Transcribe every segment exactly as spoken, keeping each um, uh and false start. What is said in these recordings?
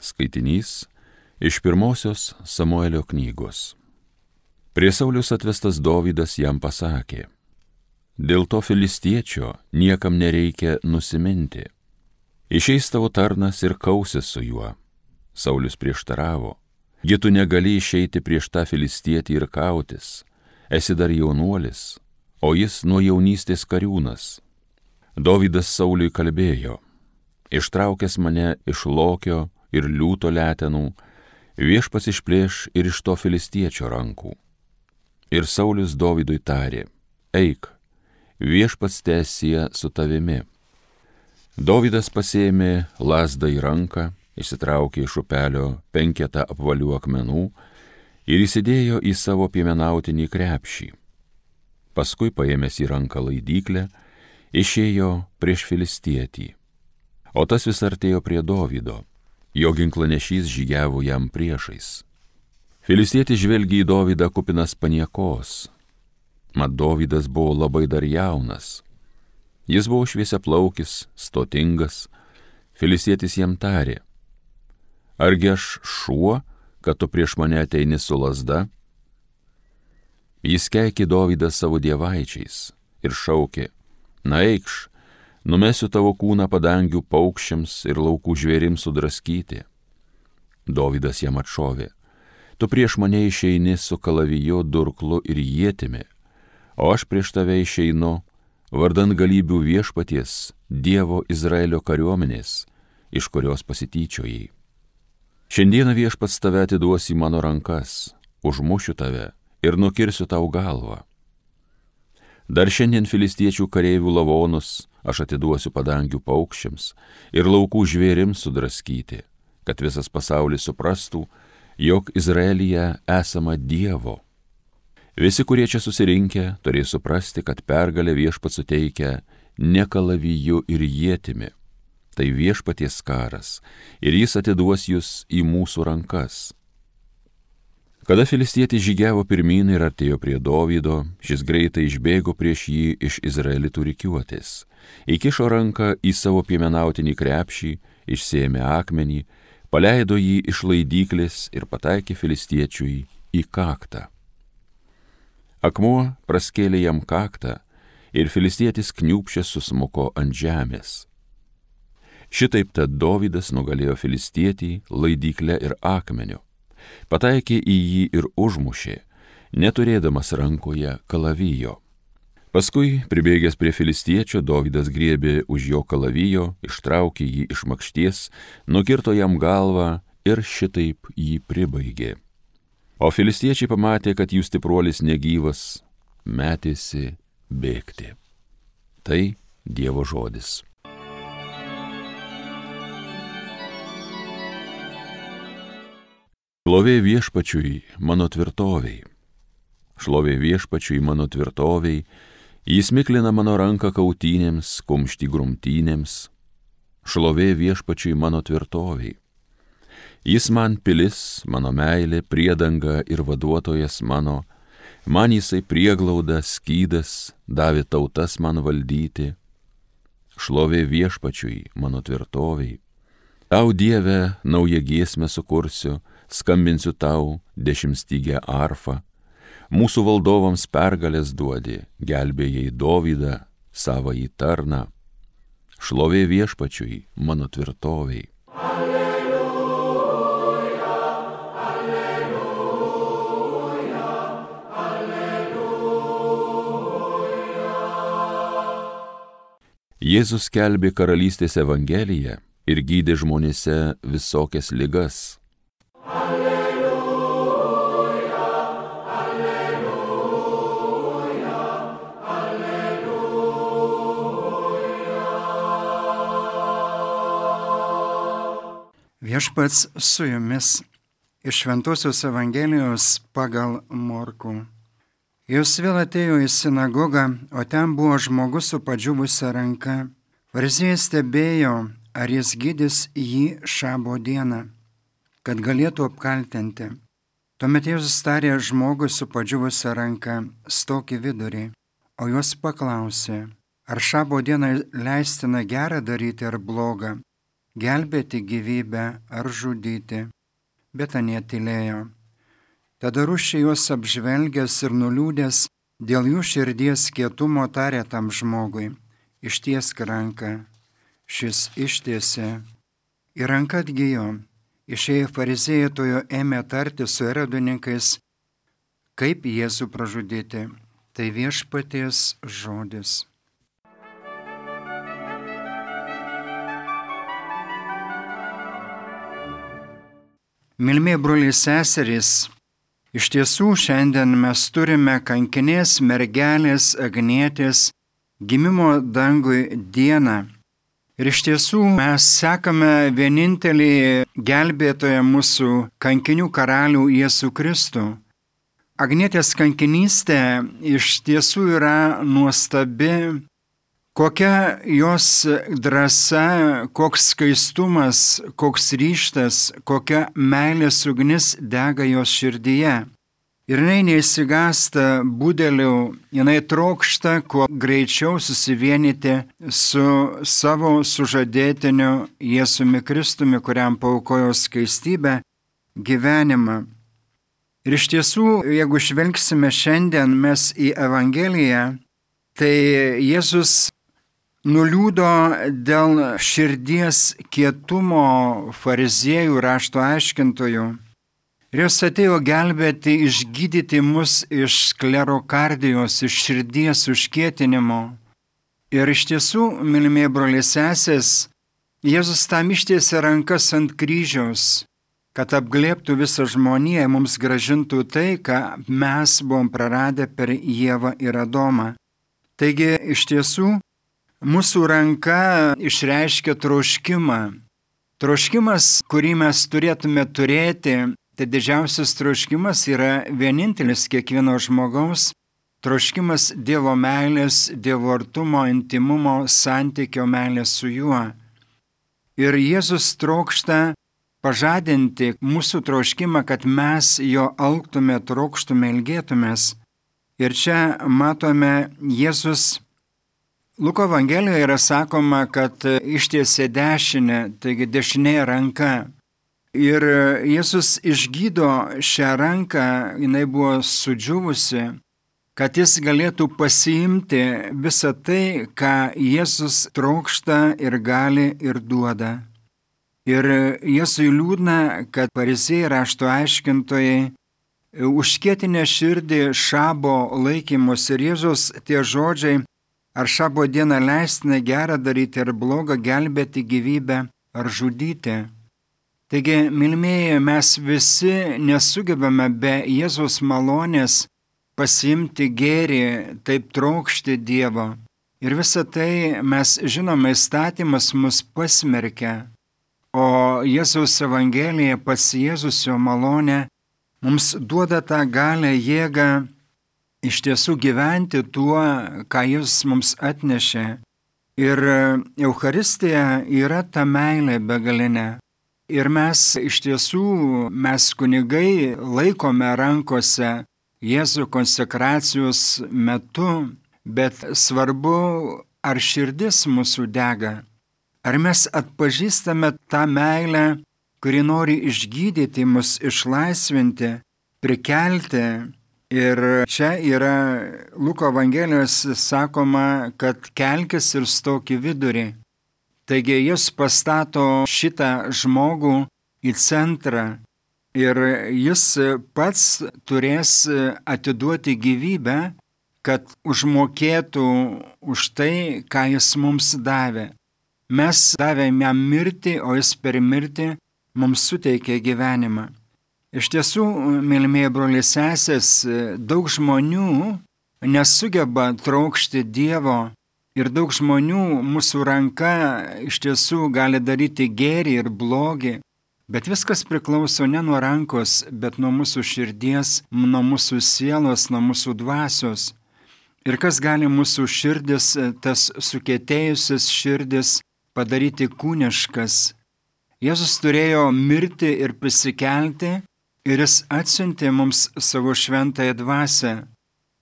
Skaitinys iš pirmosios Samuelio knygos. Prie Sauliaus atvestas Dovydas jam pasakė: dėl to filistiečio niekam nereikia nusiminti. Išeis tavo tarnas ir kausis su juo. Saulius prieštaravo: gi tu negali išeiti prieš tą filistietį ir kautis, esi dar jaunuolis, o jis nuo jaunystės kariūnas. Dovydas Sauliui kalbėjo: ištraukęs mane iš lokio ir liūto letenų, viešpats išplėš ir iš to filistiečio rankų. Ir Saulius Dovydui tarė: eik, viešpats teesie su tavimi. Dovydas pasėmė lazdą į ranką, išsitraukė iš upelio penketą apvalių akmenų ir įsidėjo į savo piemenautinį krepšį. Paskui paėmęs į ranką laidyklę, išėjo prieš filistietį. O tas vis artėjo prie Dovydo, jo ginklanešys žygiavo jam priešais. Filistietis žvelgė į Dovydą kupinas paniekos. Mat Dovydas buvo labai dar jaunas. Jis buvo šviesiaplaukis, stotingas. Filistietis jam tarė: argi aš šuo, kad tu prieš mane ateini su lazda? Jis keikė Dovydą savo dievaičiais ir šaukė: na eikš, numesiu tavo kūną padangių paukščiams ir laukų žvėrims sudraskyti. Dovydas jam atšovė: tu prieš mane išeini su kalaviju, durklu ir ietimi, o aš prieš tave išeinu vardan galybių viešpaties, Dievo Izraelio kariuomenės, iš kurios pasityčiojai. Šiandieną viešpats tave atiduos į mano rankas, užmušiu tave ir nukirsiu tau galvą. Dar šiandien filistiečių kareivių lavonus aš atiduosiu padangių paukščiams ir laukų žvėrims sudraskyti, kad visas pasaulis suprastų, jog Izraelyje esama Dievo. Visi, kurie čia susirinkę, turės suprasti, kad pergalę viešpats suteikia ne kalaviju ir ietimi. Tai viešpaties karas, ir jis atiduos jūs į mūsų rankas. Kada filistietis žygiavo pirmyn ir artėjo prie Dovydo, šis greitai išbėgo prieš jį iš izraelitų rikiuotės, įkišo ranką į savo piemenautinį krepšį, išsėmė akmenį, paleido jį iš laidyklės ir pataikė filistiečiui į kaktą. Akmuo praskėlė jam kaktą ir filistietis kniūbsčias susmuko ant žemės. Šitaip tad Dovydas nugalėjo filistietį laidykle ir akmeniu, pataikė į jį ir užmušė, neturėdamas rankoje kalavijo. Paskui, pribėgęs prie filistiečio, Dovydas griebė už jo kalavijo, ištraukė jį iš makšties, nukirto jam galvą ir šitaip jį pribaigė. O filistiečiai pamatė, kad jų stipruolis negyvas, metėsi bėgti. Tai Dievo žodis. Šlovė viešpačiui mano tvirtoviai. Šlovė viešpačiui mano tvirtoviai, jis miklina mano ranką kautynėms, kumštį grumtynėms. Šlovė viešpačiui mano tvirtoviai. Jis man pilis, mano meilė, priedanga ir vaduotojas mano, man jisai prieglauda, skydas, davė tautas man valdyti. Šlovė viešpačiui mano tvirtoviai. Tau, Dieve, naują giesmę sukursiu, skambinsiu tau dešimtstygę arfą. Mūsų valdovams pergalės duodi, gelbėjai Dovydą, savąjį tarną. Šlovė viešpačiui mano tvirtoviai. Jėzus skelbė karalystės evangeliją ir gydė žmonėse visokias ligas. Alleluja, alleluja, alleluja. Viešpats su jumis iš Šventosios Evangelijos pagal Morkų. Jis vėl atėjo į sinagogą, o ten buvo žmogus su padžiūvusia ranka. Fariziejai stebėjo, ar jis gydys jį šabo dieną, kad galėtų apkaltinti. Tuomet Jėzus tarė žmogui su padžiūvusia ranka: stok į vidurį, o juos paklausė: ar šabo dieną leistina gera daryti ar bloga, gelbėti gyvybę ar žudyti. Bet anie tylėjo. Tada rūsčiai juos apžvelgęs ir nuliūdęs dėl jų širdies kietumo tarė tam žmogui: ištiesk ranką. Šis ištiesė ir ranka atgijo. Išėję fariziejai tojo ėmė tarti su erodininkais, kaip Jėzų pražudyti. Tai viešpaties žodis. Mylimi broliai seserys, iš tiesų šiandien mes turime kankinės mergelės Agnietės gimimo dangui dieną. Ir iš tiesų mes sekame vienintelį gelbėtoją mūsų kankinių karalių Jėzų Kristų. Agnietės kankinystė iš tiesų yra nuostabi, kokia jos drąsa, koks skaistumas, koks ryžtas, kokia meilės ugnis dega jos širdyje. Ir jinai neįsigąsta budelių, jinai trokšta kuo greičiau susivienyti su savo sužadėtiniu Jėzumi Kristumi, kuriam paaukojo skaistybę, gyvenimą. Ir iš tiesų, jeigu žvelgsime šiandien mes į Evangeliją, tai Jėzus nuliūdo dėl širdies kietumo fariziejų rašto aiškintojų. Ir jos atėjo gelbėti, išgydyti mus iš sklerokardijos, iš širdies užkietinimo. Ir iš tiesų, mylimieji broliai sesės, Jėzus tam ištiesė rankas ant kryžiaus, kad apglėbtų visą žmoniją, mums gražintų tai, ką mes buvom praradę per Ievą ir Adomą. Taigi, iš tiesų, mūsų ranka išreiškia troškimą. Troškimas, kurį mes turėtume turėti, tai didžiausias troškimas yra vienintelis kiekvieno žmogaus troškimas Dievo meilės, Dievo artumo, intimumo, santykio meilės su juo. Ir Jėzus trokšta pažadinti mūsų troškimą, kad mes jo alktume, trokštume, ilgėtumės. Ir čia matome Jėzus, Luko Evangelijoje yra sakoma, kad ištiesė dešinę, taigi dešinė ranka. Ir Jėzus išgydo šią ranką, jinai buvo sudžiūvusi, kad jis galėtų pasiimti visą tai, ką Jėzus trokšta ir gali ir duoda. Ir Jėzui liūdna, kad fariziejai rašto aiškintojai užkietinę širdį šabo laikymus ir Jėzus tie žodžiai, ar šabo dieną leistina gera daryti ar bloga, gelbėti gyvybę ar žudyti. Taigi, mylimieji, mes visi nesugebame be Jėzaus malonės pasiimti gėrį, taip trokšti Dievo. Ir visą tai mes žinome, įstatymas mus pasmerkia, o Jėzaus Evangelija, pats Jėzus jo malonė, mums duoda tą galę, jėgą iš tiesų gyventi tuo, ką Jis mums atnešė. Ir Eucharistija yra ta meilė begalinė. Ir mes iš tiesų, mes kunigai laikome rankose Jėzų konsekracijos metu, bet svarbu, ar širdis mūsų dega, ar mes atpažįstame tą meilę, kuri nori išgydyti mus, išlaisvinti, prikelti. Ir čia yra Luko Evangelijos sakoma, kad kelkis ir stok į vidurį. Taigi jis pastato šitą žmogų į centrą ir jis pats turės atiduoti gyvybę, kad užmokėtų už tai, ką jis mums davė. Mes davėme jam mirtį, o jis per mirtį mums suteikė gyvenimą. Iš tiesų, mylimieji broliai sesės, daug žmonių nesugeba trokšti Dievo. Ir daug žmonių mūsų ranka iš tiesų gali daryti gėrį ir blogį, bet viskas priklauso ne nuo rankos, bet nuo mūsų širdies, nuo mūsų sielos, nuo mūsų dvasios. Ir kas gali mūsų širdis, tas sukietėjusias širdis padaryti kūniškas. Jėzus turėjo mirti ir prisikelti, ir jis atsiuntė mums savo šventąją dvasią,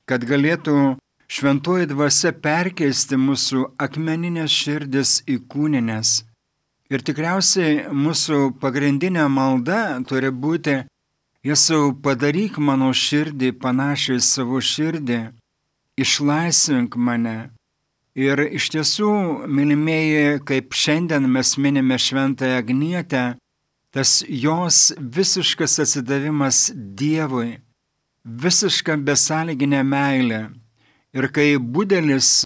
kad galėtų šventoji dvasia perkeisti mūsų akmeninės širdis į kūninės. Ir tikriausiai mūsų pagrindinė malda turi būti: Jėzau, padaryk mano širdį panašiai į savo širdį, išlaisvink mane. Ir iš tiesų, mylimieji, kaip šiandien mes minime Šventąją Agnietę, tas jos visiškas atsidavimas Dievui, visiška besąlyginė meilė. Ir kai budelis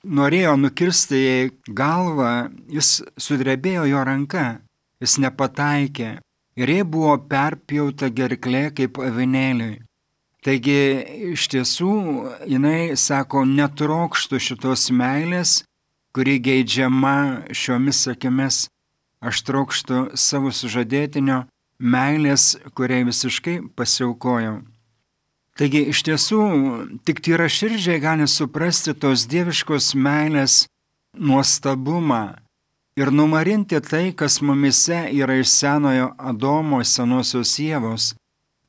norėjo nukirsti jai galvą, jis sudrebėjo jo ranka, jis nepataikė ir jai buvo perpjauta gerklė kaip avinėliui. Taigi iš tiesų jinai sako, netrokštų šitos meilės, kuri geidžiama šiomis akimis. Aš trokštų savo sužadėtinio meilės, kuriai visiškai pasiaukojau. Taigi iš tiesų tik tyra širdžiai gali suprasti tos dieviškos meilės nuostabumą ir numarinti tai, kas mumise yra iš senojo Adomo, senosios Ievos.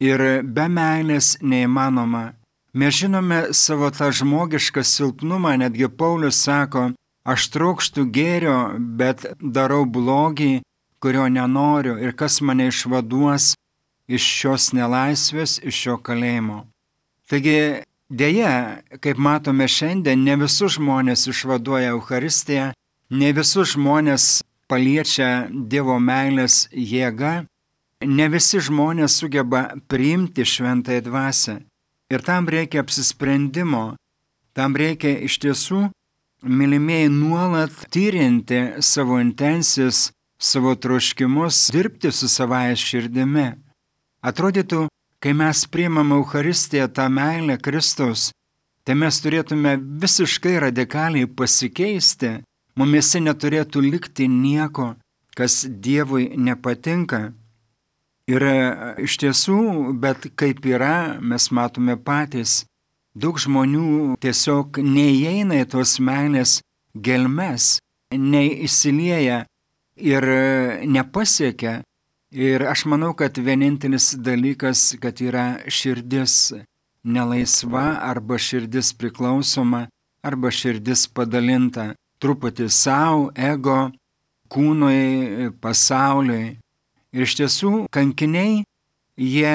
Ir be meilės neįmanoma. Mes žinome savo tą žmogišką silpnumą, netgi Paulius sako, aš trokštų gėrio, bet darau blogį, kurio nenoriu, ir kas mane išvaduos iš šios nelaisvės, iš šio kalėjimo. Taigi, dėja, kaip matome šiandien, ne visus žmonės išvaduoja Eucharistiją, ne visus žmonės paliečia Dievo meilės jėga, ne visi žmonės sugeba priimti šventąją dvasią. Ir tam reikia apsisprendimo, tam reikia iš tiesų, mylimieji, nuolat tyrinti savo intencijas, savo troškimus, dirbti su savąja širdimi. Atrodytų, kai mes priimame Eucharistiją, tą meilę Kristaus, tai mes turėtume visiškai radikaliai pasikeisti, mumise neturėtų likti nieko, kas Dievui nepatinka. Ir iš tiesų, bet kaip yra, mes matome patys, daug žmonių tiesiog neįeina į tos meilės gelmes, neįsilieja ir nepasiekia. Ir aš manau, kad vienintelis dalykas, kad yra širdis nelaisva arba širdis priklausoma, arba širdis padalinta. Truputį savo, ego, kūnui, pasauliui. Ir iš tiesų, kankiniai, jie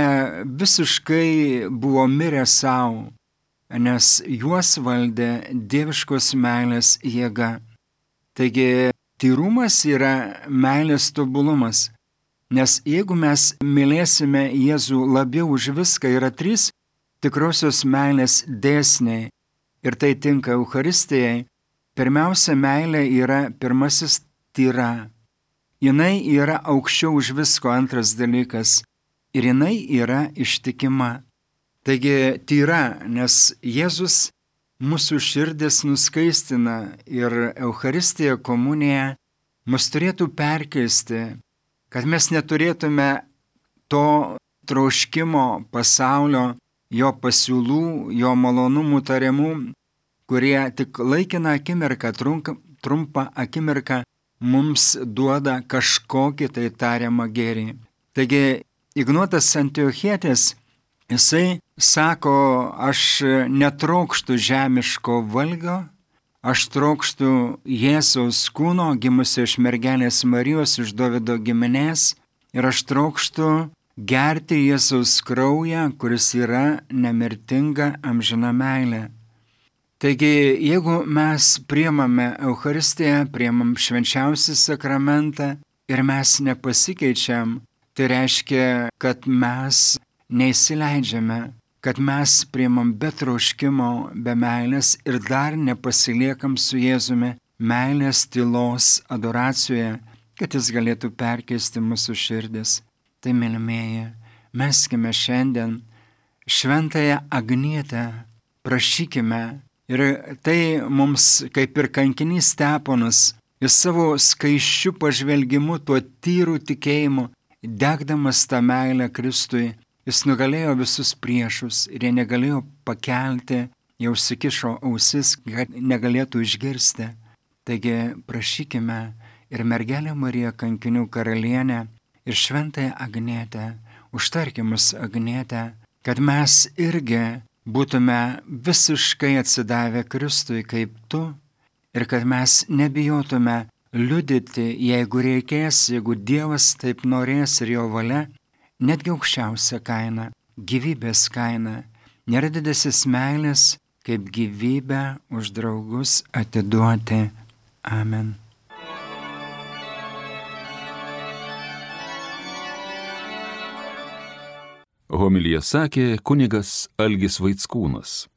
visiškai buvo mirę savo, nes juos valdė dieviškos meilės jėga. Taigi, tyrumas yra meilės tobulumas, nes jeigu mes mylėsime Jėzų labiau už viską, yra trys tikrosios meilės dėsniai, ir tai tinka Eucharistijai. Pirmiausia, meilė yra pirmasis tyra. Jinai yra aukščiau už visko, antras dalykas, ir jinai yra ištikima. Taigi tyra, nes Jėzus mūsų širdis nuskaistina ir Eucharistija, komunija mus turėtų perkeisti, kad mes neturėtume to troškimo pasaulio, jo pasiūlų, jo malonumų tariamų, kurie tik laikiną akimirką, trumpą akimirką mums duoda kažkokį tai tariamą gėrį. Taigi Ignotas Antiochietis, jisai sako, aš netrokštų žemiško valgio, aš trokštų Jėzaus kūno, gimusio iš mergelės Marijos, iš Dovydo giminės, ir aš trokštų gerti Jėzaus kraują, kuris yra nemirtinga amžina meilė. Taigi, jeigu mes priimame Eucharistiją, priimam švenčiausią sakramentą ir mes nepasikeičiam, tai reiškia, kad mes neįsileidžiame, kad mes priimam be troškimo, be meilės ir dar nepasiliekam su Jėzumi meilės tylos adoracijoje, kad jis galėtų perkeisti mūsų širdis. Tai, mylimieji, meskime šiandien šventąją Agnietę, prašykime. Ir tai mums, kaip ir kankinys Steponas, jis savo skaiščiu pažvelgimu, tuo tyru tikėjimu, degdamas tą meilę Kristui, jis nugalėjo visus priešus ir jie negalėjo pakelti, jau užsikišo ausis, kad negalėtų išgirsti. Taigi prašykime ir mergelę Mariją kankinių karalienę ir šventąją Agnietę, užtarkimus Agnietę, kad mes irgi būtume visiškai atsidavę Kristui kaip tu ir kad mes nebijotume liudyti, jeigu reikės, jeigu Dievas taip norės ir jo valia, netgi aukščiausią kainą, gyvybės kainą. Nėra didesnės meilės, kaip gyvybę už draugus atiduoti. Amen. Homiliją sakė kunigas Algis Vaickūnas.